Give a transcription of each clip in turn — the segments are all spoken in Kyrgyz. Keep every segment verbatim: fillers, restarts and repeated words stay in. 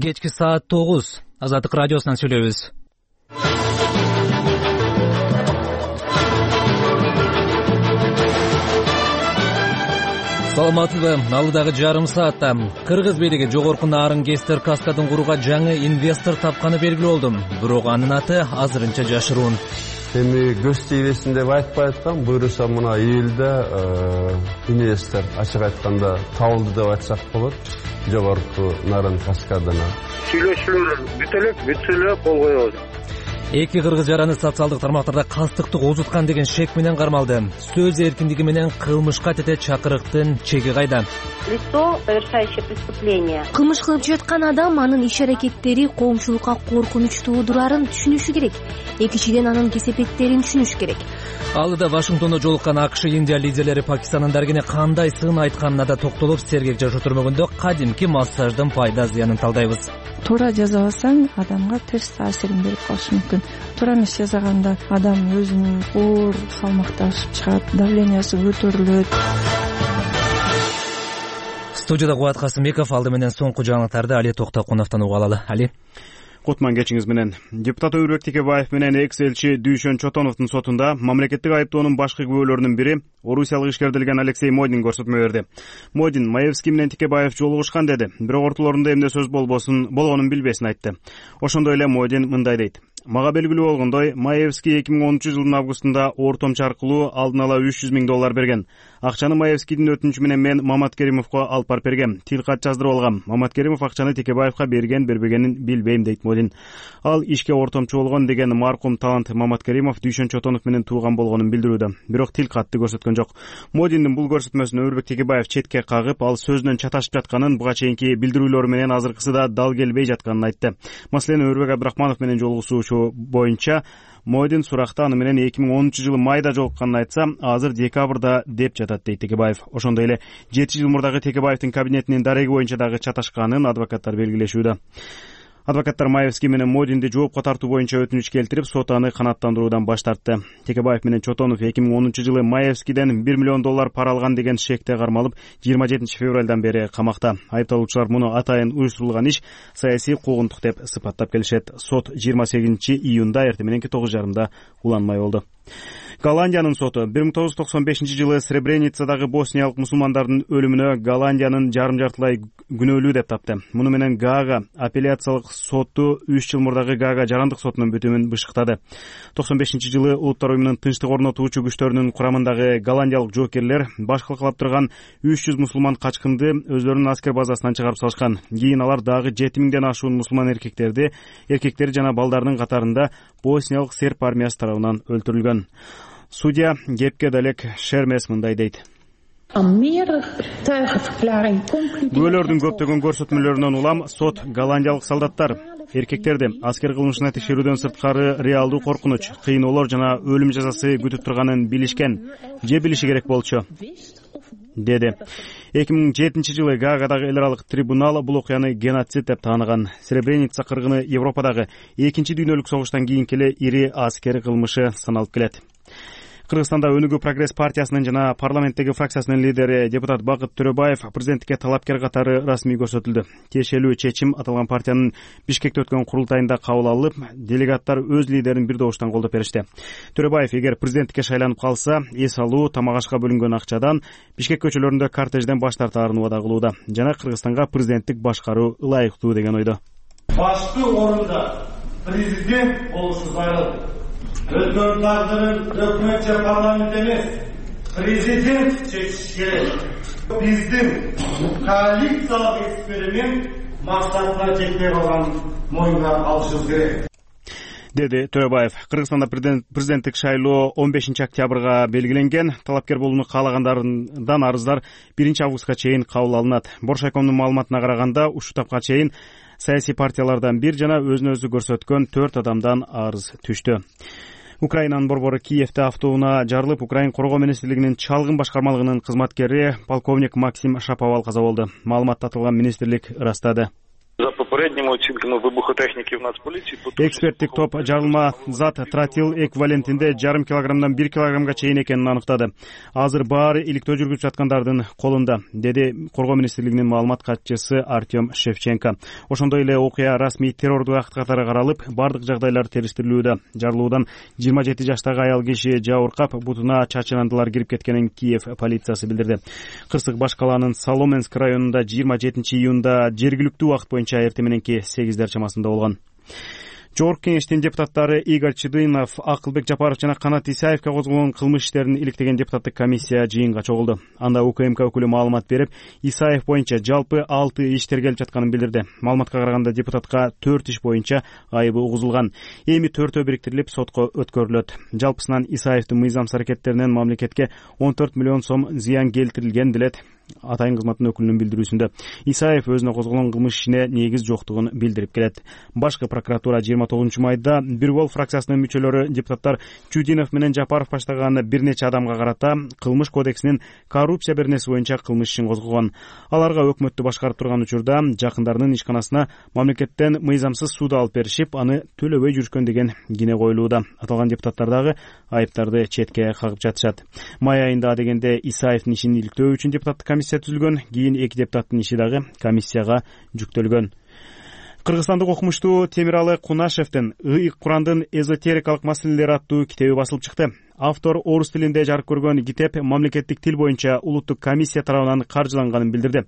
Кечки саат тогуз. Азаттык радиосунан сүйлөйбүз. Саламатсызбы? Алдыдагы жарым саатта Кыргыз бийлиги жогорку нарын Кестер каскадын курууга жаңы инвестор тапканы белгилүү болду. Бирок анын аты азырынча жашыруун. Эми көз тийбесин деп айтпай аткам, буюрса мына июлда инвестор ачык айтканда табылды деп айтсак болот. Жогорку нарын каскадына сүйлөшүүлөр бүт элек, бүтсө эле кол коебуз. Эки кыргыз жараны социалдык тармактарда кастыктык узуткан деген шек менен кармалды. Сөз эркиндиги менен кылмышка тете чакырыктын чеги кайда? Лицо, совершающее преступление. Кылмыш кылып жаткан адам анын иш-аракеттери коомчулукка коркунуч туудурарын түшүнүшү керек. Экинчиден анын кесепеттерин түшүнүш керек. Алдыда Вашингтондо жолуккан АКШ Индия лидерлери Пакистандын дарыгине кандай сын айтканына да токтолуп, сергек жашоо түрмөгүндө кадимки массаждын пайда зыянын талдайбыз. Туура жазабасаң адамга терс таасирин берип калышы мүмкүн. Туура эмес жазаганда адам өзүнүн оор салмакташып чыгат, давлениясы көтөрүлөт. Студияда Кубат Касымбеков, алды менен соңку жаңылыктарды Али Токтокуновдон уга алалы. Али. Кутман кечиңиз менен. Депутат Өрбек Текебаев менен экс-элчи Дүйшөн Чотоновдун сотунда мамлекеттик айыптоонун башкы күбөлөрүнүн бири орусиялык ишкердилген Алексей Модин көрсөтмө берди. Модин Маевский менен Текебаев жолугушкан деди, бирок ортолорунда эмне сөз болбосун болгонун билбесин айтты. Ошондой эле Модин мындай дейт: Мага белгилүү болгондой, Маевский эки миң онунчу жылдын августунда ортомчу аркылуу алдын ала үч жүз миң доллар берген. Акчаны Маевскийдин өтүнүчү менен мен Маматкеримовго алып барып бергем. Тил кат жаздырып алгам. Маматкеримов акчаны Текебаевга берген, бербегенин билбейм дейт Модин. Ал ишке ортомчу болгон деген маркум талант Маматкеримов Дүйшөн Чотонов менен тууган болгонун билдирүүдө. Бирок тил катты көрсөткөн жок. Модиндин бул көрсөтмөсүн Өрбек Текебаев четке кагып, ал сөзүнөн чаташып жатканын, буга чейинки билдирүүлөр менен азыркысы да дал келбей жатканын айтты. Маселен, Өрбек Абдрахманов менен жолугушуу боюнча Модин суракта аны менен эки миң онунчу жылы майда жолукканын айтса, азыр декабрда деп жатат дейт Текебаев. Ошондой эле жети жыл мурдагы Текебаевдин кабинетинин дареги боюнча дагы чаташканын адвокаттар белгилешүүдө. Адвокаттар Маевский менен Модинди жоопко тартуу боюнча өтүнүч келтирип, сот аны канааттандыруудан баш тартты. Текебаев менен Чотонов эки миң онунчу жылы Маевскийден бир миллион доллар пара алган деген шекте кармалып, жыйырма жетинчи февралдан бери камакта. Айыпталуучулар муну атайын уюштурулган иш, саясий куугунтук деп сыпаттап келишет. Сот жыйырма сегизинчи июнда эртең мененки тогуз жарымда уланмай болду. Голландиянын соту бир миң тогуз жүз токсон бешинчи жылы Сребреницадагы босниялык мусулмандардын өлүмүнө Голландиянын жарым жартылай күнөөлүү деп тапты. Муну менен Гаага апелляциялык соту үч жыл мурдагы Гаага жарандык сотунун бүтүмүн бышыктады. токсон бешинчи жылы Улуттар уюмунун тынчтык орнотуучу күчтөрүнүн курамындагы голландиялык жоокерлер баш калкалап турган үч жүз мусулман качкынды өзлөрүнүн аскер базасынан чыгарып салышкан. Кийин алар дагы жети миңден ашуун мусулман эркектерди, эркектери жана балдардын катарында босниялык серб армиясы тарабынан өлтүрүлгөн. Судья кепке далек Шермес мындай дейт: Күбөлөрдүн көптөгөн көрсөтмөлөрүнөн улам сот голландиялык солдаттар, эркектерди аскер кылмышына текшерүүдөн сырткары реалдуу коркунуч, кыйноолор жана өлүм жазасы күтүп турганын билишкен же билиши керек болчу, деди. эки миң жетинчи жылы Гаагадагы эл аралык трибунал бул окуяны геноцид деп тааныган. Сребреница кыргыны Европадагы экинчи дүйнөлүк согуштан кийинки эле ири аскер кылмышы саналып келет. Кыргызстанда Өнүгүү прогресс партиясынын жана парламенттеги фракциясынын лидери депутат Бакыт Төрөбаев президенттикке талапкер катары расмий көрсөтүлдү. Тиешелүү чечим аталган партиянын Бишкекте өткөн курултайында кабыл алынып, делегаттар өз лидерин бир добуштан колдоп беришти. Төрөбаев эгер президенттикке шайланып калса, эс алуу, тамак ашка бөлүнгөн акчадан Бишкек көчөлөрүндө кортежден баш тартаарын убада кылууда. Жана Кыргызстанга президенттик башкаруу ылайыктуу деген ойдо. Башкы орунда президент болушу зарыл. Өткөн тагдырын өкмөт же парламент эмес, президент чечиши керек. Биздин коалициялык эксперимент максатына жетпей калган моюнга алышыбыз керек, деди Төрөбаев. Кыргызстанда президенттик шайлоо он бешинчи октябрга белгиленген. Талапкер болууну каалагандардан арыздар биринчи августка чейин кабыл алынат. Боршайкомдун маалыматына караганда, ушул тапка чейин саясий партиялардан бир жана өзүн өзү көрсөткөн төрт адамдан арыз түштү. Украинанын борбору Киевде автоунаа жарылып, Украин коргоо министрлигинин чалгын башкармалыгынын кызматкери полковник Максим Шаповал каза болду. Маалыматта аталган министрлик ырастады. За попереднему оцінками вибухотехніків Нацполіції. Эксперттик топ жарылма зат тротил эквивалентинде жарым килограммдан бир килограммга чейин экенин аныктады. Азыр баары иликтөө жүргүзүп жаткандардын колунда, деди Коргоо министрлигинин маалымат катчысы Артем Шевченко. Ошондой эле окуя расмий террордук акт катары каралып, бардык жагдайлар териштирилүүдө. Жарылуудан жыйырма жети жаштагы аял киши жабыркап, бутуна чачынандылар кирип кеткенин Киев полициясы билдирди. Кырсык баш калаанын Соломенск районунда жыйырма жетинчи июнда жергиликтүү убакыт боюнча эртең мененки сегиздер чамасында болгон. Жогорку кеңештин депутаттары Игорь Чудынов, Акылбек Жапаров жана Канат Исаевке козголгон кылмыш иштерин иликтеген депутаттык комиссия жыйынга чогулду. Анда УКМК өкүлү маалымат берип, Исаев боюнча жалпы алты иш тергелип жатканын билдирди. Маалыматка караганда депутатка төрт иш боюнча айыбы угузулган. Эми төртөө бириктирилип сотко өткөрүлөт. Жалпысынан Исаевдин мыйзамсыз аракеттеринен мамлекетке он төрт миллион сом зыян келтирилген делет атайын кызматтын өкүлүнүн билдирүүсүндө. Исаев өзүнө козголгон кылмыш ишине негиз жоктугун билдирип келет. Башкы прокуратура жыйырма тогузунчу майда Бирбол фракциясынын мүчөлөрү депутаттар Чудинов менен Жапаров баштаган бир нече адамга карата кылмыш кодексинин коррупция беренеси боюнча кылмыш ишин козгогон. Аларга өкмөттү башкарып турган учурда жакындарынын ишканасына мамлекеттен мыйзамсыз сууду алып беришип, аны төлөбөй жүрүшкөн деген кине коюлууда. Аталган депутаттар дагы айыптарды четке кагып жатышат. Май айында дегенде Исаевдин ишин иликтөө үчүн депутаттык комиссия түзүлгөн, кийин эки депутаттын иши дагы комиссияга жүктөлгөн. Кыргызстандык окумуштуу Темиралы Кунашевдин «Ыйык Курандын эзотерикалык маселелери» аттуу китеби басылып чыкты. Автор орус тилинде жарык көргөн китеп мамлекеттик тил боюнча улуттук комиссия тарабынан каржыланганын билдирди.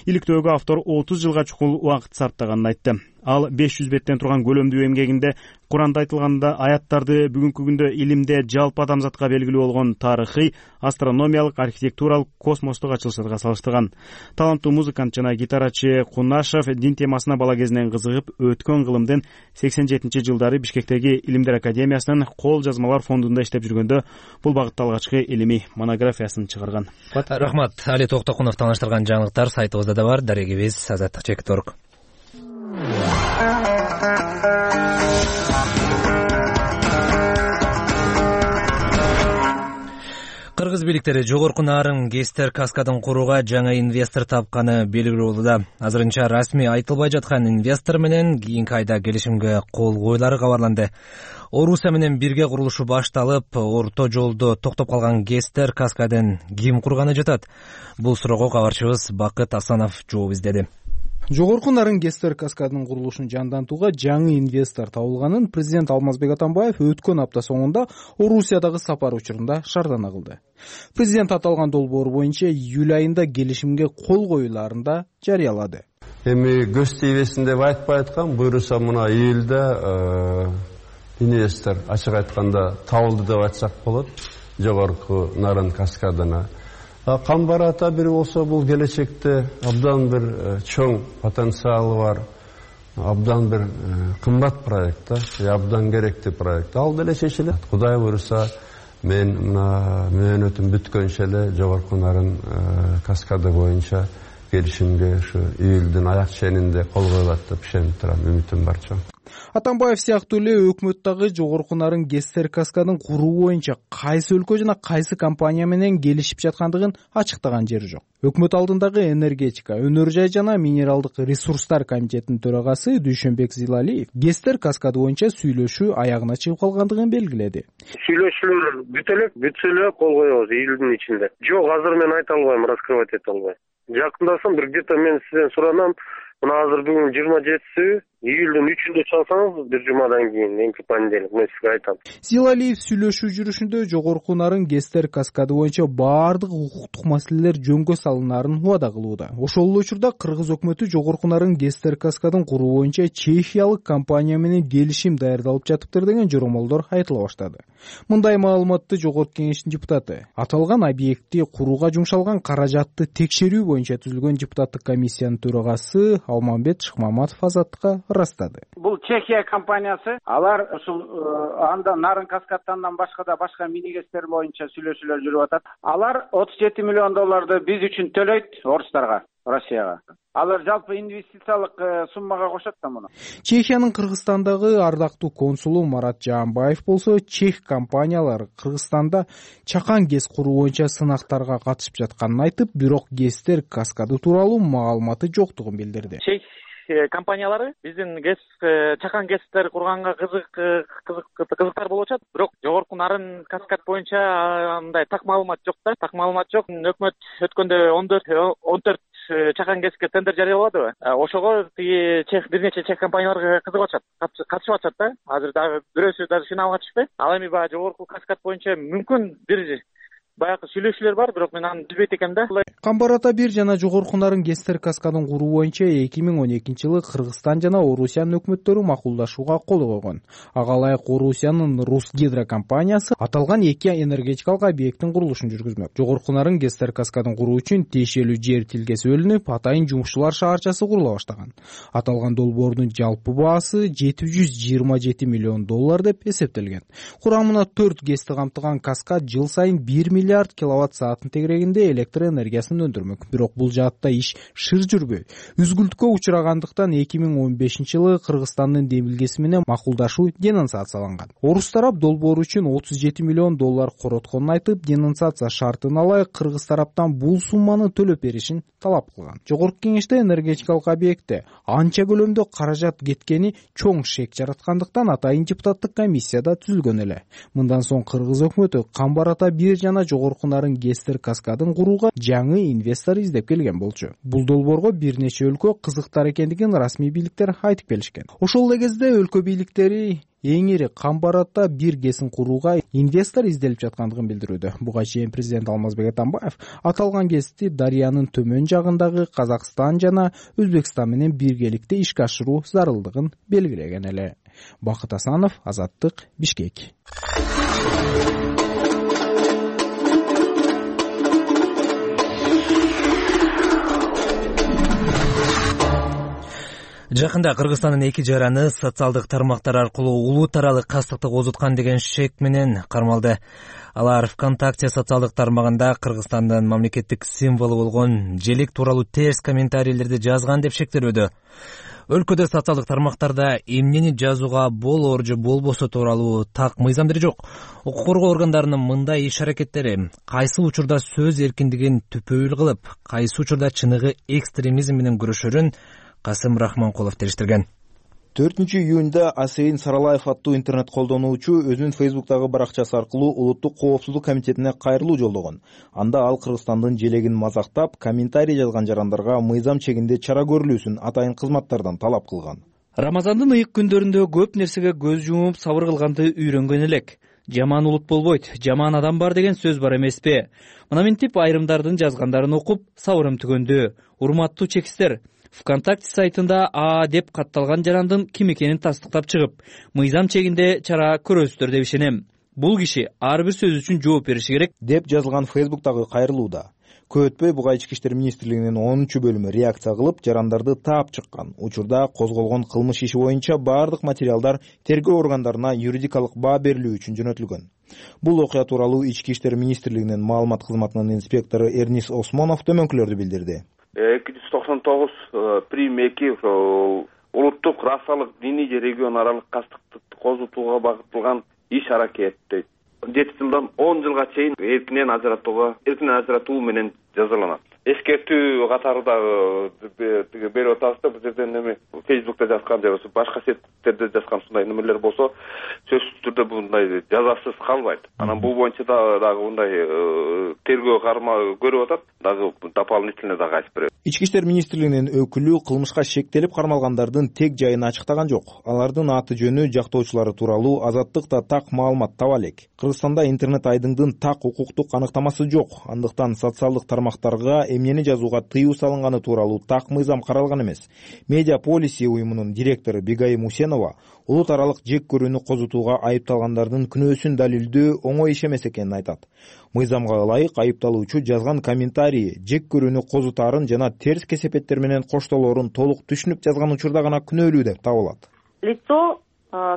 Иликтөөгө автор отуз жылга чукул убакыт сарптаганын айтты. Ал беш жүз беттен турган көлөмдүү эмгегинде Куранда айтылганда аяттарды бүгүнкү күндө илимде жалпы адамзатка белгилүү болгон тарыхый, астрономиялык, архитектуралык, космостук ачылыштарга салыштырган. Таланттуу музыкант жана гитарачы Кунашев дин темасына бала кезинен кызыгып, өткөн кылымдын сексен жетинчи жылдары Бишкектеги Илимдер академиясынын кол жазмалар фондунда иштеп жүргөндө бул багытта алгачкы илимий монографиясын чыгарган. Рахмат. Али Токтокунов тааныштырган жаңылыктар сайтыбызда да бар. Дарегибиз азаттык чек точка орг. Кыргыз бийликтери жогорку нарын Гестер каскадын курууга жаңы инвестор тапканы белгилүү болууда. Азырынча расмий айтылбай жаткан инвестор менен кийинки айда келишимге кол коюлары кабарланды. Орусия менен бирге курулушу башталып, орто жолдо токтоп калган Гестер каскадын ким курганы жатат? Бул суроого кабарчыбыз Бакыт Асанов жооп издеди. Жогорку нарын Гестер каскадынын курулушун жандантууга жаңы инвестор табылганын президент Алмазбек Атамбаев өткөн апта соңунда Орусиядагы сапар учурунда шаардана кылды. Президент аталган долбоор боюнча июль айында келишимге кол коюларын да жарыялады. Эми көз тийбесин деп айтпай аткан, буюрса мына июлда инвестор ачык айтканда табылды деп айтсак болот. Жогорку нарын каскадына кам барата бир болсо бул келечекте абдан бир чоң потенциалы бар, абдан бир кымбат проект, абдан керектүү проект. Ал деле чечилет. Кудай буюрса, мен мына мөөнөтүм бүткөнчө эле жогорку нарын каскады боюнча келишимге ушу июлдун аяк ченинде кол коюлат деп ишенип турам, үмүтүм бар чоң. Атамбаев сыяктуу эле өкмөт дагы жогорку нарын Гестер каскадын куруу боюнча кайсы өлкө жана кайсы компания менен келишип жаткандыгын ачыктаган жери жок. Өкмөт алдындагы энергетика, өнөр жай жана минералдык ресурстар комитетинин төрагасы Дүйшөнбек Зилалиев Гестер каскады боюнча сүйлөшүү аягына чыгып калгандыгын белгиледи. Сүйлөшүүлөр бүтө элек, бүтсө эле кол коебуз июлдун ичинде. Жок, азыр мен айта албайм, раскрывать эте албайм. Жакындасам бир где-то мен сизден суранам. Мына азыр бүгүн жыйырма жетиси, июлдун үчүндө чалсаңыз бир жумадан кийин, эмки понедельник, мен сизге айтам. Зилалиев сүйлөшүү жүрүшүндө жогорку нарын Гестер каскады боюнча баардык укуктук маселелер жөнгө салынаарын убада кылууда. Ошол эле учурда кыргыз өкмөтү жогорку нарын Гестер каскадын куруу боюнча чехиялык компания менен келишим даярдалып жатыптыр деген жоромолдор айтыла баштады. Мындай маалыматты жогорку кеңештин депутаты аталган объектти курууга жумшалган каражатты текшерүү боюнча түзүлгөн депутаттык комиссиянын төрагасы Алмамбет Шыкмаматов Азаттыкка ырастады. Бул Чехия компаниясы, алар ушул анда нарын каскадтан башка да башка мини гестер боюнча сүйлөшүүлөр жүрүп атат. Алар отуз жети миллион долларды биз үчүн төлөйт орустарга, Россияга. Алар жалпы инвестициялык суммага кошот да муну. Чехиянын Кыргызстандагы ардактуу консулу Марат Жаанбаев болсо, чех компаниялары Кыргызстанда чакан гез куруу боюнча сынактарга катышып жатканын айтып, бирок Гестер каскады тууралуу маалыматы жоктугун билдирди. Чех компаниялары биздин гэс чакан гэстер курганга кызык кызык кызыктар болуп атат. Бирок жогорку нарын каскад боюнча мындай так маалымат жок да. Так маалымат жок. Өкмөт өткөндө он төрт он төрт чакан гэске тендер жарыяладыбы? Ошого тиги чех бир нече чех компаниялар кызыгып атышат, катышып атышат да. Азыр дагы бирөөсү даже финалга чыкпай. Ал эми баягы жогорку каскад боюнча мүмкүн бир баягы сүйлөшүүлөр бар, бирок мен аны билбейт экенмин да. Камбар ата бир жана жогорку нарын гэстер каскадын куруу боюнча эки миң он экинчи жылы Кыргызстан жана Орусиянын өкмөттөрү макулдашууга кол койгон. Ага ылайык Орусиянын Русгидро компаниясы аталган эки энергетикалык объекттин курулушун жүргүзмөк. Жогорку нарын гэстер каскадын куруу үчүн тиешелүү жер тилкеси бөлүнүп, атайын жумушчулар шаарчасы курула баштаган. Аталган долбоордун жалпы баасы жети жүз жыйырма жети миллион доллар деп эсептелген. Курамына төрт гэсти камтыган каскад жыл сайын бир миллиард киловатт саатын тегерегинде электр энергиясын өндүрмөк. Бирок бул жаатта иш шыр жүрбөй. Үзгүлткө учурагандыктан эки миң он бешинчи жылы Кыргызстандын демилгеси менен макулдашуу денонсацияланган. Орус тарап долбоор үчүн отуз жети миллион доллар коротконун айтып, денонсация шартына ылайык кыргыз тараптан бул сумманы төлөп беришин талап кылган. Жогорку кеңеште энергетикалык объектте анча көлөмдө каражат кеткени чоң шек жараткандыктан атайын депутаттык комиссия да түзүлгөн эле. Мындан соң кыргыз өкмөтү Камбар ата бир жана жогорку нарын гэстер каскадын курууга жаңы инвестор издеп келген болчу. Бул долбоорго бир нече өлкө кызыктар экендигин расмий бийликтер айтып келишкен. Ошол эле кезде өлкө бийликтери эң ири Камбар ата бир гэсин курууга инвестор изделип жаткандыгын билдирүүдө. Буга чейин президент Алмазбек Атамбаев аталган гэсти Дарыянын төмөн жагындагы Казакстан жана Өзбекстан менен биргеликте ишке ашыруу зарылдыгын белгилеген эле. Бакыт Асанов, Азаттык, Бишкек. Жакында Кыргызстандын эки жараны социалдык тармактар аркылуу улут аралык кастыкты козуткан деген шек менен кармалды. Алар ВКонтакте социалдык тармагында Кыргызстандын мамлекеттик символу болгон желек тууралуу терс комментарийлерди жазган деп шектелүүдө. Өлкөдө социалдык тармактарда эмнени жазууга болор же болбосо тууралуу так мыйзамдары жок. Укук коргоо органдарынын мындай иш-аракеттери кайсы учурда сөз эркиндигин түпөйүл кылып, кайсы учурда чыныгы экстремизм менен күрөшөрүн Касым Рахманкулов териштирген. төртүнчү июнда Асейин Саралаев аттуу интернет колдонуучу өзүнүн Фейсбуктагы баракчасы аркылуу Улуттук коопсуздук комитетине кайрылуу жолдогон. Анда ал Кыргызстандын желегин мазактап, комментарий жазган жарандарга мыйзам чегинде чара көрүлүүсүн атайын кызматтардан талап кылган. Рамазандын ыйык күндөрүндө көп нерсеге көз жумуп сабыр кылганды үйрөнгөн элек. Жаман улут болбойт, жаман адам бар деген сөз бар эмеспи? Мына мынтип айрымдардын жазгандарын окуп, сабырым түгөндү. Урматтуу чекистер, ВКонтакте сайтында А деп катталган жарандын ким экенин тастыктап чыгып, мыйзам чегинде чара көрөсүздөр деп ишенем. Бул киши ар бир сөз үчүн жооп бериши керек деп жазылган Фейсбуктагы кайрылууда. Көп өтпөй буга Ички иштер министрлигинин онунчу бөлүмү реакция кылып, жарандарды таап чыккан. Учурда козголгон кылмыш иши боюнча бардык материалдар тергөө органдарына юридикалык баа берилүү үчүн жөнөтүлгөн. Бул окуя тууралуу Ички иштер министрлигинин маалымат кызматынын инспектору Эрнис Осмонов төмөнкүлөрдү билдирди. эки жүз токсон тогуз прим эки улуттук расалык диний же регион аралык кастыкты козутууга багытталган иш-аракет дейт. жети жылдан он жылга чейин эркинен ажыратууга эркинен ажыратуу менен жазаланат. Эскертүү катарындагы берип атабыз да, бул жерден эми Фейсбукта жазган же болбосо башка сеттерде жазган ушундай немелер болсо сөзсүз түрдө мындай жазасыз калбайт. Анан бул боюнча дагы мындай тергөө карма көрүп атат, дагы дополнительно дагы айтып берет. Ички иштер министрлигинин өкүлү кылмышка шектелип кармалгандардын тег жайын ачыктаган жок. Алардын аты жөнү, жактоочулары тууралуу Азаттыкта так маалымат таба элек. Кыргызстанда интернет айдыңдын так укуктук аныктамасы жок. Андыктан социалдык тармактарга эмнени жазууга тыюу салынганы тууралуу так мыйзам каралган эмес. Медиа Policy уюмунун директору Бегайым Усенова улут аралык жек көрүүнү козутууга айыпталгандардын күнөөсүн далилдөө оңой иш эмес экенин айтат. Мыйзамга ылайык айыпталуучу жазган комментарий жек көрүүнү козутаарын жана терс кесепеттер менен коштолоорун толук түшүнүп жазган учурда гана күнөөлүү деп табылат. Лицо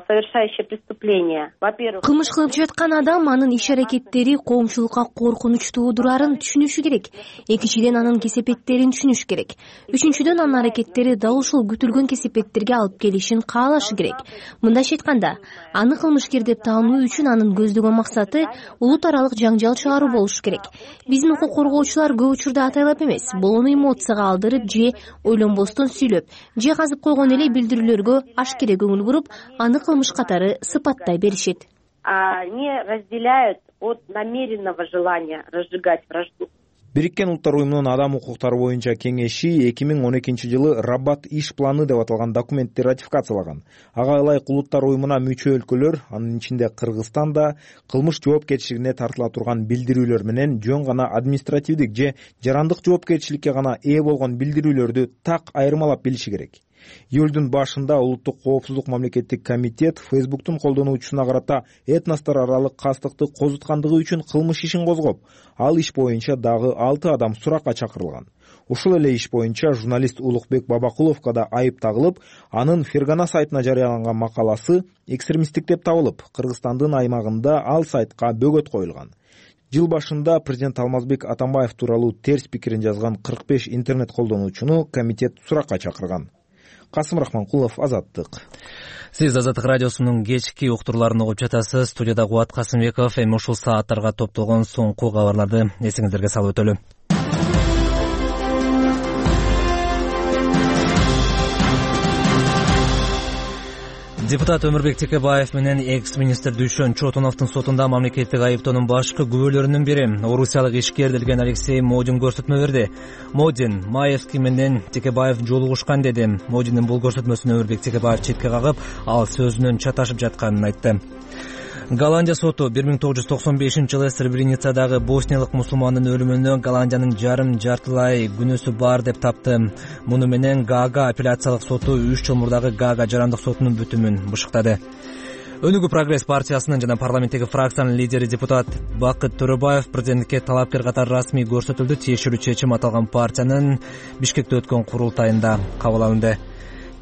совершающие преступления. Во-первых, кылмыш кылып жаткан адам анын иш аракеттери коомчулукка коркунуч туудурарын түшүнүшү керек. Экинчиден, анын кесепеттерин түшүнүш керек. Үчүнчүдөн, анын аракеттери дал ушул күтүлгөн кесепеттерге алып келишин каалашы керек. Мындайча айтканда, аны кылмышкер деп таануу үчүн анын көздөгөн максаты улут аралык жаңжал чыгаруу болушу керек. Биздин укук коргоочулар көп учурда атайлап эмес, болону эмоцияга алдырып же ойлонбостон сүйлөп, же казып койгон эле билдирүүлөргө ашкере көңүл буруп, аны кылмыш катары сыпаттай беришет. Они разделяют от намеренного желания разжигать вражду. Бириккен Улуттар уюмунун адам укуктары боюнча кеңеши эки миң он экинчи жылы Раббат иш планы деп аталган документти ратификациялаган. Ага ылайык Улуттар уюмуна мүчө өлкөлөр, анын ичинде Кыргызстан да кылмыш жоопкерчилигине тартыла турган билдирүүлөр менен жөн гана административдик же жарандык жоопкерчиликке гана ээ болгон билдирүүлөрдү так айырмалап билиши керек. Июлдун башында Улуттук коопсуздук мамлекеттик комитет Фейсбуктун колдонуучусуна карата этностор аралык кастыкты козуткандыгы үчүн кылмыш ишин козгоп, ал иш боюнча дагы алты адам суракка чакырылган. Ушул эле иш боюнча журналист Улукбек Бабакуловго да айып тагылып, анын Фергана сайтына жарыяланган макаласы экстремисттик деп табылып, Кыргызстандын аймагында ал сайтка бөгөт коюлган. Жыл башында президент Алмазбек Атамбаев тууралуу терс пикирин жазган кырк беш интернет колдонуучуну комитет суракка чакырган. Касым Рахманкулов, Азаттык. Сиз Азаттык радиосунун кечки уктурларын угуп жатасыз. Студияда Кубат Касымбеков. Эми ушул сааттарга топтолгон соңку кабарларды эсиңиздерге салып өтөлү. Депутат Өмүрбек Текебаев менен экс-министр Дүйшөн Чотоновдун сотунда мамлекеттик айыптоонун башкы күбөлөрүнүн бири орусиялык ишкер делген Алексей Модин көрсөтмө берди. Модин Маевский менен Текебаев жолугушкан деди. Модиндин бул көрсөтмөсүн Өмүрбек Текебаев четке кагып, ал сөзүнөн чаташып жатканын айтты. Голландия соту бир миң тогуз жүз токсон бешинчи жылы Сребреницадагы босниялык мусулмандын өлүмүнө Голландиянын жарым жартылай күнөөсү бар деп тапты. Муну менен Гаага апелляциялык соту үч жыл мурдагы Гаага жарандык сотунун бүтүмүн бышыктады. Өнүгүү Прогресс партиясынын жана парламенттеги фракциянын лидери депутат Бакыт Төрөбаев президенттикке талапкер катары расмий көрсөтүлдү. Тиешелүү чечим аталган партиянын Бишкекте өткөн курултайында кабыл алынды.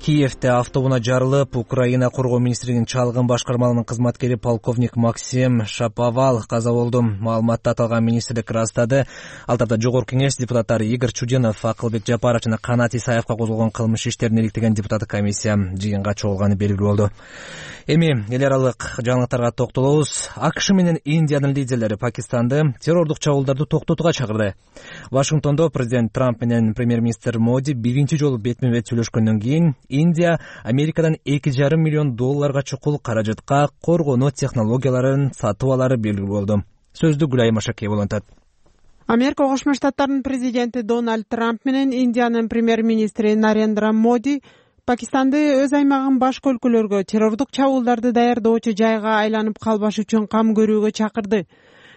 Киевде автобуна жарылып, Украина коргоо министрлигинин чалгын башкармалыгынын кызматкери полковник Максим Шаповал каза болду. Маалыматты аталган министрлик ырастады. Ал тарда жогорку кеңеш депутаттары Игорь Чудинов, Акылбек Жапаров жана Канат Исаевка козголгон кылмыш иштерин иликтеген депутаттык комиссия жыйынга чогулганы белгилүү болду. Эми эл аралык жаңылыктарга токтолобуз. АКШ менен Индиянын лидерлери Пакистанды террордук чабуулдарды токтотууга чакырды. Вашингтондо президент Трамп менен премьер-министр Моди биринчи жолу бетме-бет сүйлөшкөндөн кийин Индия Америкадан эки жарым миллион долларга чукул каражатка коргонуу технологияларын сатып алары белгилүү болду. Сөздү Гүлай Машакеева улантат. Америка Кошмо Штаттарынын президенти Дональд Трамп менен Индиянын премьер-министри Нарендра Моди Пакистанды өз аймагын башка өлкөлөргө террордук чабуулдарды даярдоочу жайга айланып калбаш үчүн кам көрүүгө чакырды.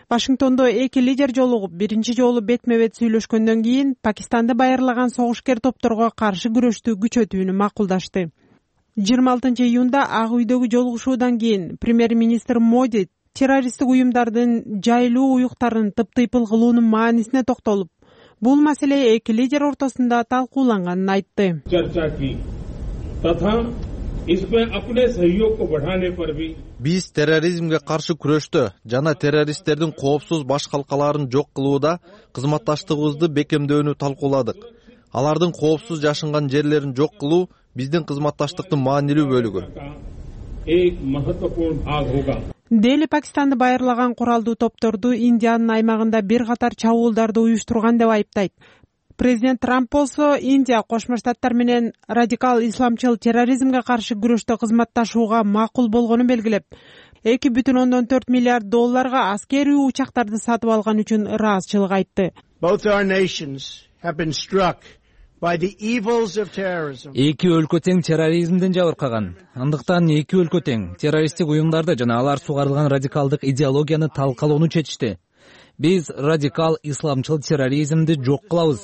Вашингтондо эки лидер жолугуп биринчи жолу бетме-бет сүйлөшкөндөн кийин Пакистанды байырлаган согушкер топторго каршы күрөштү күчөтүүнү макулдашты. жыйырма алтынчы июнда Ак үйдөгү жолугушуудан кийин премьер-министр Моди террористтик уюмдардын жайлуу уюктарын тыптыйпыл кылуунун маанисине токтолуп, бул маселе эки лидер ортосунда талкууланганын айтты. Биз терроризмге каршы күрөштө жана террористтердин коопсуз баш калкаларын жок кылууда кызматташтыгыбызды бекемдөөнү талкууладык. Алардын коопсуз жашынган жерлерин жок кылуу биздин кызматташтыктын маанилүү бөлүгү. Дели Пакистанды байырлаган куралдуу топторду Индиянын аймагында бир катар чабуулдарды уюштурган деп айыптайт. Президент Трамп болсо Индия Кошмо Штаттар менен радикал исламчыл терроризмге каршы күрөштө кызматташууга макул болгонун белгилеп, эки бүтүн ондон төрт миллиард долларга аскерий учактарды сатып алган үчүн ыраазычылык айтты. Эки өлкө тең терроризмден жабыркаган. Андыктан эки өлкө тең террористтик уюмдарды жана алар сугарылган радикалдык идеологияны талкалоону чечишти. Биз радикал исламчыл терроризмди жок кылабыз.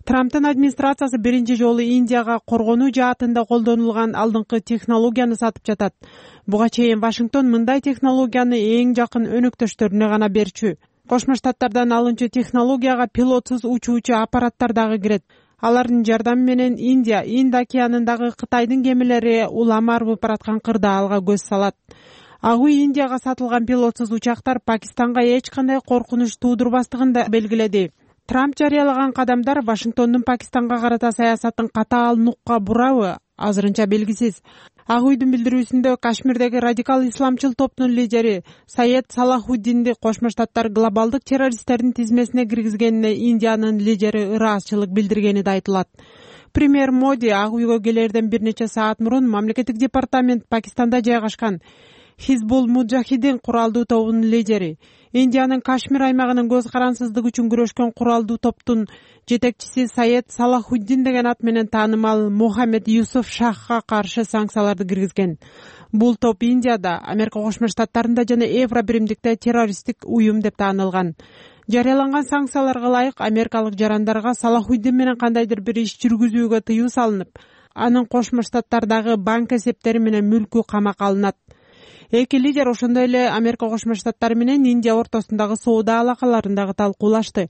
Трамптын администрациясы биринчи жолу Индияга коргонуу жаатында колдонулган алдыңкы технологияны сатып жатат. Буга чейин Вашингтон мындай технологияны эң жакын өнөктөштөрүнө гана берчү. Кошмо Штаттардан алынчу технологияга пилотсуз учуучу аппараттар дагы кирет. алардын жардамы менен Индия Инд океанындагы Кытайдын кемелери улам арбып бараткан кырдаалга көз салат. Ак үй Индияга сатылган пилотсуз учактар Пакистанга эч кандай коркунуч туудурбастыгын да белгиледи. Трамп жарыялаган кадамдар Вашингтондун Пакистанга карата саясатын катаал нукка бурабы азырынча белгисиз. Ак үйдүн билдирүүсүндө Кашмирдеги радикал исламчыл топтун лидери Саед Салахуддинди Кошмо Штаттар глобалдык террористтердин тизмесине киргизгенине Индиянын лидери ыраазычылык билдиргени да айтылат. Премьер Моди Ак үйгө келерден бир нече саат мурун мамлекеттик департамент Пакистанда жайгашкан Хизбул Муджахидин куралдуу тобунун лидери, Индиянын Кашмир аймагынын көз карансыздыгы үчүн күрөшкөн куралдуу топтун жетекчиси Саед Салахуддин деген ат менен таанымал Мухаммед Юсуф Шахга каршы санкцияларды киргизген. Бул топ Индияда, Америка Кошмо Штаттарында жана Евро биримдикте террористтик уюм деп таанылган. Жарыяланган санкцияларга ылайык америкалык жарандарга Салахуддин менен кандайдыр бир иш жүргүзүүгө тыюу салынып, анын Кошмо Штаттардагы банк эсептери менен мүлкү камакка алынат. Эки лидер ошондой эле Америка Кошмо Штаттары менен Индия ортосундагы соода алакаларындагы талкуулашты.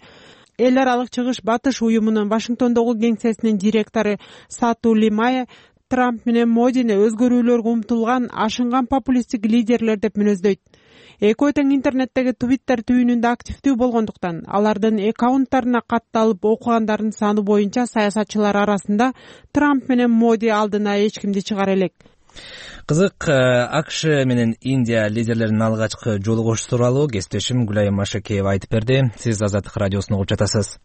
Эл аралык чыгыш батыш уюмунун Вашингтондогу кеңсесинин директору Сату Лимая Трамп менен Модини өзгөрүүлөргө умтулган ашынган популисттик лидерлер деп мүнөздөйт. Экөө тең интернеттеги Twitter түйүнүндө активдүү болгондуктан алардын аккаунттарына катталып окугандардын саны боюнча саясатчылар арасында Трамп менен Моди алдына эч кимди чыгара элек. Кызык, АКШ менен Индия лидерлеринин алгачкы жолугушуу тууралуу кесиптешим Гүлайым Машекеева айтып берди. Сиз Азаттык радиосуна угуп жатасыз.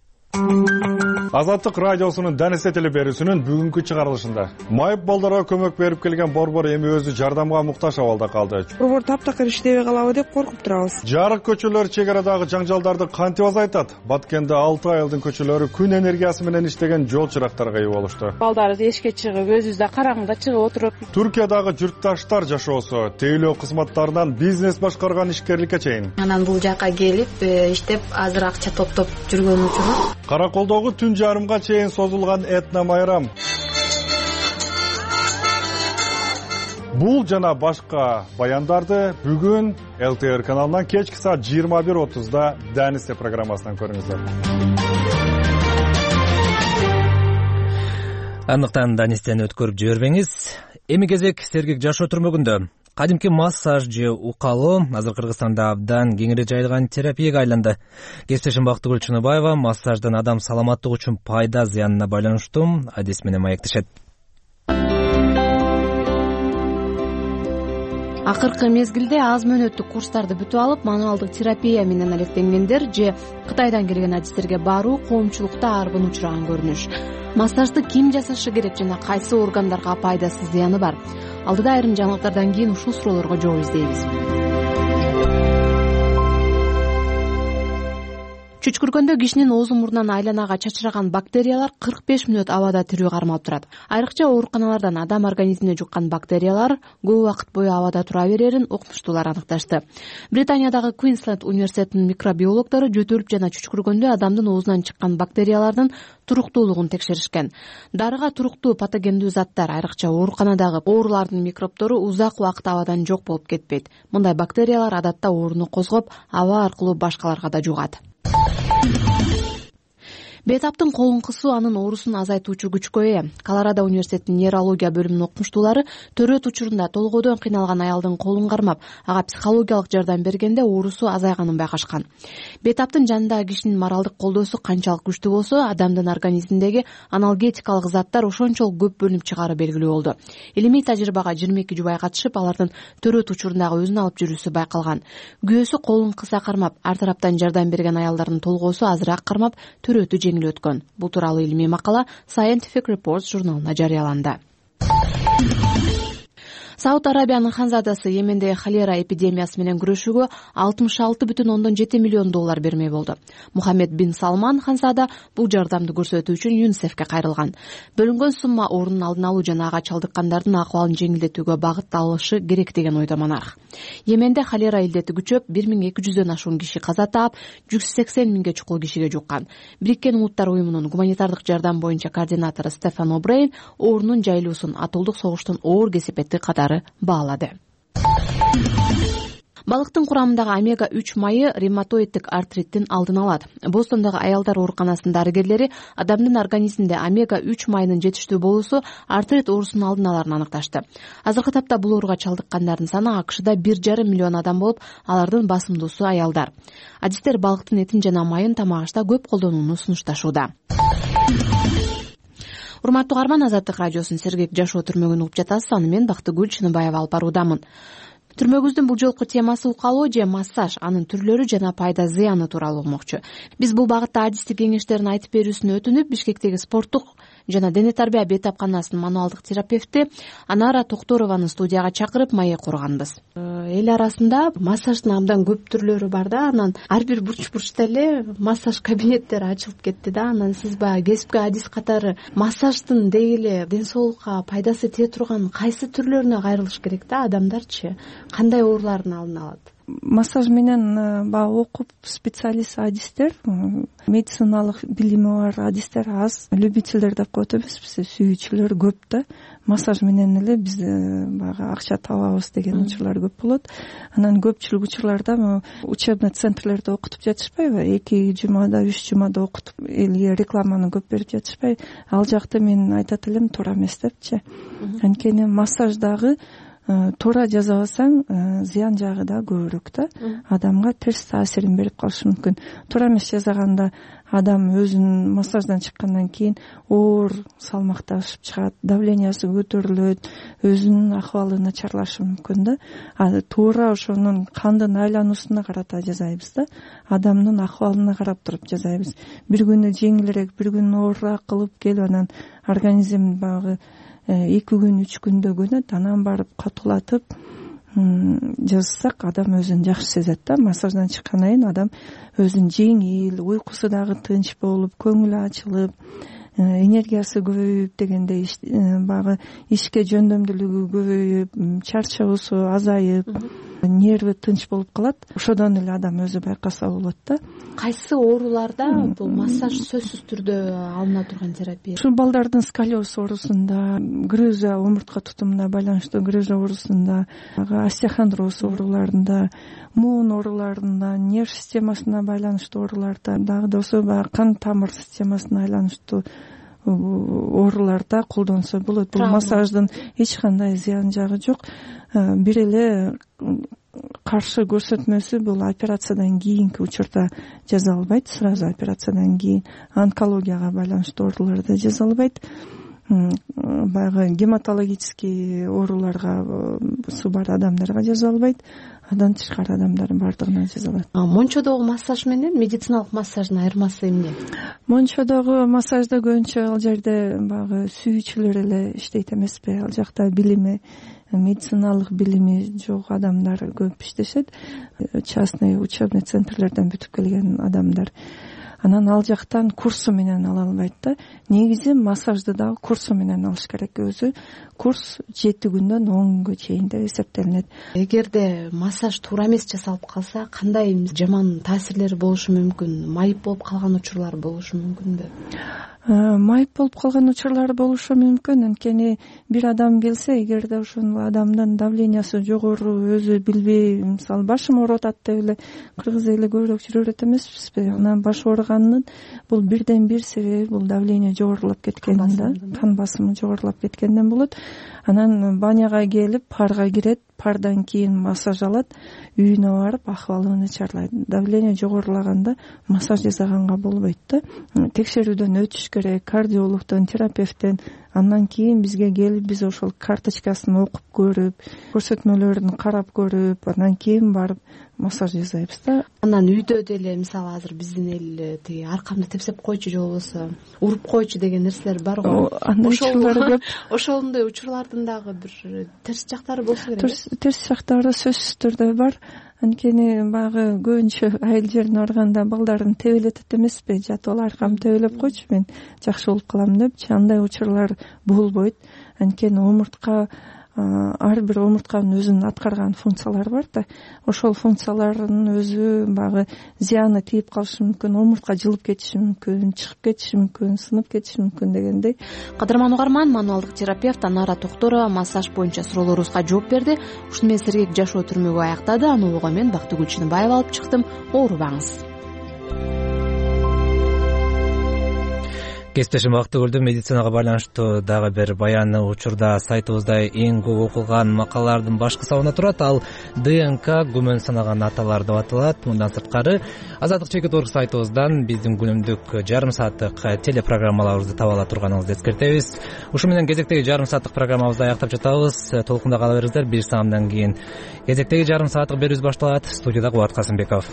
Азаттык радиосунун Данисе телеберүүсүнүн бүгүнкү чыгарылышында майып балдарга көмөк берип келген борбор эми өзү жардамга муктаж абалда калды. Борбор таптакыр иштебей калабы деп коркуп турабыз. Жарык көчөлөр чек арадагы жаңжалдарды кантип азайтат? Баткенде алты айылдын көчөлөрү күн энергиясы менен иштеген жол чырактарга ээ болушту. Балдар эшикке чыгып, өзүбүздө караңгыда чыгып отуруп. Түркиядагы журтташтар жашоосу, тейлөө кызматтарынан бизнес башкарган ишкерликке чейин. Анан бул жакка келип, иштеп, азыр акча топтоп жүргөн үчүн Караколдогу түн жарымга чейин созулган этно майрам. Бул жана башка баяндарды бүгүн эл тэ эр каналынан кечки саат жыйырма бир отузда Данисе программасынан көрүңүздөр. Андыктан Данистен өткөрүп жибербеңиз. Эми кезек сергек жашоо түрмөгүндө. Кадимки массаж же укалоо азыр Кыргызстанда абдан кеңири жайылган терапияга айланды. Кесиптешим Бактыгүл Чыныбаева массаждын адам саламаттыгы үчүн пайда зыянына байланыштуу адис менен маектешет. Акыркы мезгилде аз мөөнөттүк курстарды бүтүп алып, мануалдык терапия менен алектенгендер же Кытайдан келген адистерге баруу коомчулукта арбын учураган көрүнүш. Массажды ким жасашы керек жана кайсы органдарга пайдасы зыяны бар? Алдыда айрым жаңылыктардан кийин ушул суроолорго жооп издейбиз. Чүчкүргөндө кишинин оозу мурдунан айланага чачыраган бактериялар кырк беш мүнөт абада тирүү кармалып турат. Айрыкча ооруканалардан адам организмине жуккан бактериялар көп убакыт бою абада тура берерин окумуштуулар аныкташты. Британиядагы Квинсленд университетинин микробиологдору жөтөлүп жана чүчкүргөндө адамдын оозунан чыккан бактериялардын туруктуулугун текшеришкен. Дарыга туруктуу патогендүү заттар, айрыкча ооруканадагы оорулардын микробтору узак убакыт абадан жок болуп кетпейт. Мындай бактериялар адатта ооруну козгоп, аба аркылуу башкаларга да жугат. Бейтаптын колун кысуу анын оорусун азайтуучу күчкө ээ. Колорадо университетинин нейрология бөлүмүнүн окумуштуулары төрөт учурунда толгойдон кыйналган аялдын колун кармап, ага психологиялык жардам бергенде оорусу азайганын байкашкан. Бейтаптын жанындагы кишинин моралдык колдоосу канчалык күчтүү болсо, адамдын организминдеги аналгетикалык заттар ошончолук көп бөлүнүп чыгары белгилүү болду. Илимий тажрыйбага жыйырма эки жубай катышып, алардын төрөт учурундагы өзүн алып жүрүүсү байкалган. Күйөөсү колун кыса кармап, ар тараптан жардам берген аялдардын толгоосу азыраак кармап, төрөтү өткөн. Бул тууралуу илимий макала Scientific Reports журналына жарыяланды. Сауд Арабиянын ханзадасы Йеменде холера эпидемиясы менен күрөшүүгө алтымыш алты бүтүн ондон жети миллион доллар бермей болду. Мухаммед бин Салман ханзада бул жардамды көрсөтүү үчүн ЮНИСЕФке кайрылган. Бөлүнгөн сумма оорунун алдын алуу жана ага чалдыккандардын акыбалын жеңилдетүүгө багытталышы керек деген ойдо монарх. Йеменде холера илдети күчөп, бир миң эки жүздөн ашуун киши каза таап, жүз сексен миңге чукул кишиге жуккан. Бириккен Улуттар уюмунун гуманитардык жардам боюнча координатору Стефан О'Брейн оорунун жайылуусун атуулдук согуштун оор кесепети катары баалады. балыктын курамындагы омега үч майы ревматоиддик артриттин алдын алат. Бостондогу аялдар ооруканасынын дарыгерлери адамдын организминде омега үч майынын жетиштүү болуусу артрит оорусунун алдын аларын аныкташты. Азыркы тапта бул ооруга чалдыккандардын саны АКШда бир жарым миллион адам болуп, алардын басымдуусу аялдар. Адистер балыктын этин жана майын тамак-ашта көп колдонууну сунушташууда. Урматтуу угарман, Азаттык радиосунун сергек жашоо түрмөгүн угуп жатасыз. Аны мен Бактыгүл Чыныбаева алып баруудамын. Түрмөгүбүздүн бул жолку темасы укалоо же массаж, анын түрлөрү жана пайда зыяны тууралуу угмокчу. Биз бул багытта адистик кеңештерин айтып берүүсүнө өтүнүп, Бишкектеги спорттук жана дене тарбия бейтапканасынын мануалдык терапевти Анара Токторованы студияга чакырып маек курганбыз. Эл арасында массаждын абдан көп түрлөрү бар да, анан ар бир бурч-бурчта эле массаж кабинеттери ачылып кетти да. Анан сиз баягы кесипкөй адис катары массаждын деги эле ден соолукка пайдасы тие турган кайсы түрлөрүнө кайрылыш керек да? Адамдарчы кандай оорулардын алдын алат? Массаж менен баягы окуп специалист адистер, медициналык билими бар адистер аз, любительдер деп коет эмеспиз, сүйүүчүлөр көп да. Массаж менен эле биз баягы акча табабыз деген учурлар көп болот. Анан көпчүлүк учурларда учебный центрлерде окутуп жатышпайбы, эки жумада, үч жумада окутуп элге рекламаны көп берип жатышпайбы, ал жакты мен айтат элем туура эмес депчи. Анткени массаждагы туура жасабасаң зыян жагы да көбүрөөк да, адамга терс таасирин берип калышы мүмкүн. Туура эмес жасаганда адам өзүнүн массаждан чыккандан кийин оор салмакташып чыгат, давлениясы көтөрүлөт, өзүнүн акыбалы начарлашы мүмкүн да. А туура ошонун кандын айлануусуна карата жасайбыз да, адамдын акыбалына карап туруп жасайбыз. Бир күнү жеңилирээк, бир күнү оорураак кылып келип, анан организм багы эки күн, үч күндө көнөт, анан барып катуулатып жазсак адам өзүн жакшы сезет да. Массаждан чыккандан кийин адам өзүн жеңил, уйкусу дагы тынч болуп, көңүлү ачылып, энергиясы көбөйүп дегендей, баягы ишке жөндөмдүүлүгү көбөйүп, чарчоосу азайып, нерви тынч болуп калат. Ошодон эле адам өзү байкаса болот да. Кайсы ооруларда бул массаж сөзсүз түрдө алына турган терапия? Ушул балдардын сколиоз оорусунда, грыжа, омуртка тутумуна байланыштуу грыжа оорусунда, остеохондроз ооруларында, муун ооруларында, нерв системасына байланыштуу ооруларда, дагы да ошо баягы кан тамыр системасына байланыштуу ооруларда колдонсо болот. Бул массаждын эч кандай зыян жагы жок. Бир эле каршы көрсөтмөсү бул операциядан кийинки учурда жасалбайт, сразу операциядан кийин онкологияга байланыштуу ооруларда жасалбайт. Баягы гематологический ооруларга су бар адамдарга жасалбайт. Андан тышкары адамдардын баардыгына жасалат. Мончодогу массаж менен медициналык массаждын айырмасы эмне? Мончодогу массажда көбүнчө ал жерде баягы сүйүүчүлөр эле иштейт эмеспи? Ал жакта билими, медициналык билими жок адамдар көп иштешет. Частный учебный центрлерден бүтүп келген адамдар. Анан ал жактан курсу менен ала албайт да. Негизи массажды дагы курсу менен алыш керек. Өзү курс жети күндөн он күнгө чейин деп эсептелинет. Эгерде массаж туура эмес жасалып калса, кандай жаман таасирлери болушу мүмкүн? Майып болуп калган учурлар болушу мүмкүнбү? Майып болуп калган учурлар болушу мүмкүн. Анткени бир адам келсе, эгерде ошол адамдын давлениясы жогору, өзү билбей, мисалы башым ооруп атат деп эле кыргыз эли көбүрөөк жүрө берет эмеспизби? Анан баш ооруганын бул бирден бир себеби бул давление жогорулап кеткен да, кан басымы жогорулап кеткенден болот. Анан баняга келип, парга кирет, пардан кийин массаж алат, үйүнө барып акыбалы начарлайт. Давление жогорулаганда массаж жасаганга болбойт да. Текшерүүдөн өтүш керек, кардиологдон, терапевттен. Андан кийин бизге келип, биз ошол карточкасын окуп көрүп, көрсөтмөлөрүн карап көрүп, андан кийин барып массаж жасайбыз да. Анан үйдө деле, мисалы азыр биздин эл тиги аркамды тепсеп койчу же болбосо уруп койчу деген нерселер бар го. Ошол ошондой учурлардын дагы бир терс жактары болсо керек. Терс жактары сөзсүз түрдө бар. Анткени баягы көбүнчө айыл жерине барганда балдарын тебелетет эмеспи? Жатып аркам тебелеп койчу, мен жакшы болуп калам депчи. Андай учурлар болбойт. Анткени омуртка ар бир омуртканын өзүнүн аткарган функциялары бар да, ошол функциялардын өзү баягы зыяны тийип калышы мүмкүн, омуртка жылып кетиши мүмкүн, чыгып кетиши мүмкүн, сынып кетиши мүмкүн дегендей. Кадырман угарман, мануалдык терапевт Анара Токторова массаж боюнча суроолорубузга жооп берди. Ушуну менен сергек жашоо түрмөгү аяктады. Аны улууга мен Бактыгүл Чыныбаева алып чыктым. Оорубаңыз. Кесиптешим Бактыгүлдүн медицинага байланыштуу дагы бир баяны учурда сайтыбызда эң көп окулган макалалардын башкы сабына турат. Ал ДНК күмөн санаган аталар деп аталат. Мындан сырткары Азаттык чекит орг сайтыбыздан биздин күнүмдүк жарым сааттык телепрограммаларыбызды таба ала турганыңызды эскертебиз. Ушу менен кезектеги жарым сааттык программабызды аяктап жатабыз. Толкунда кала бериңиздер. Бир саамдан кийин кезектеги жарым сааттык берүүбүз башталат. Студияда Кубат Касымбеков.